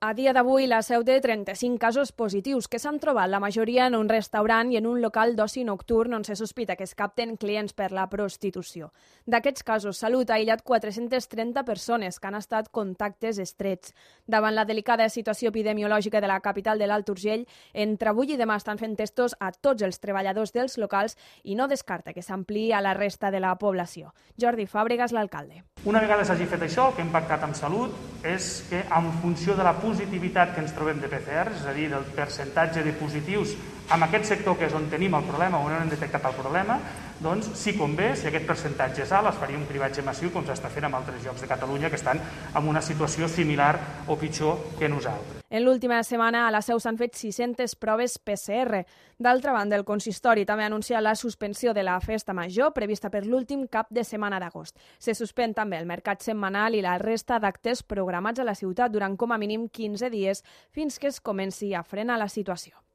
A dia d'avui, la Seu té 35 casos positius que s'han trobat, la majoria en un restaurant i en un local d'oci nocturn on se sospita que es capten clients per la prostitució. D'aquests casos, Salut ha aïllat 430 persones que han estat contactes estrets. Davant la delicada situació epidemiològica de la capital de l'Alt Urgell, entre avui i demà estan fent testos a tots els treballadors dels locals i no descarta que s'ampliï a la resta de la població. Jordi Fàbregas, l'alcalde. Una vegada s'hagi fet això, el que hem pactat amb Salut és que, en funció de la positivitat que ens trobem de PCR, és a dir, del percentatge de positius en aquest sector que és on tenim el problema, on hem detectat el problema, doncs, si convé, si aquest percentatge és alt, es faria un cribatge massiu com s'està fent en altres llocs de Catalunya que estan en una situació similar o pitjor que nosaltres. En l'última setmana a la Seu s'han fet 600 proves PCR. D'altra banda, el consistori també ha anunciat la suspensió de la festa major prevista per l'últim cap de setmana d'agost. Se suspèn també el mercat setmanal i la resta d'actes programats a la ciutat durant com a mínim 15 dies fins que es comenci a frenar la situació.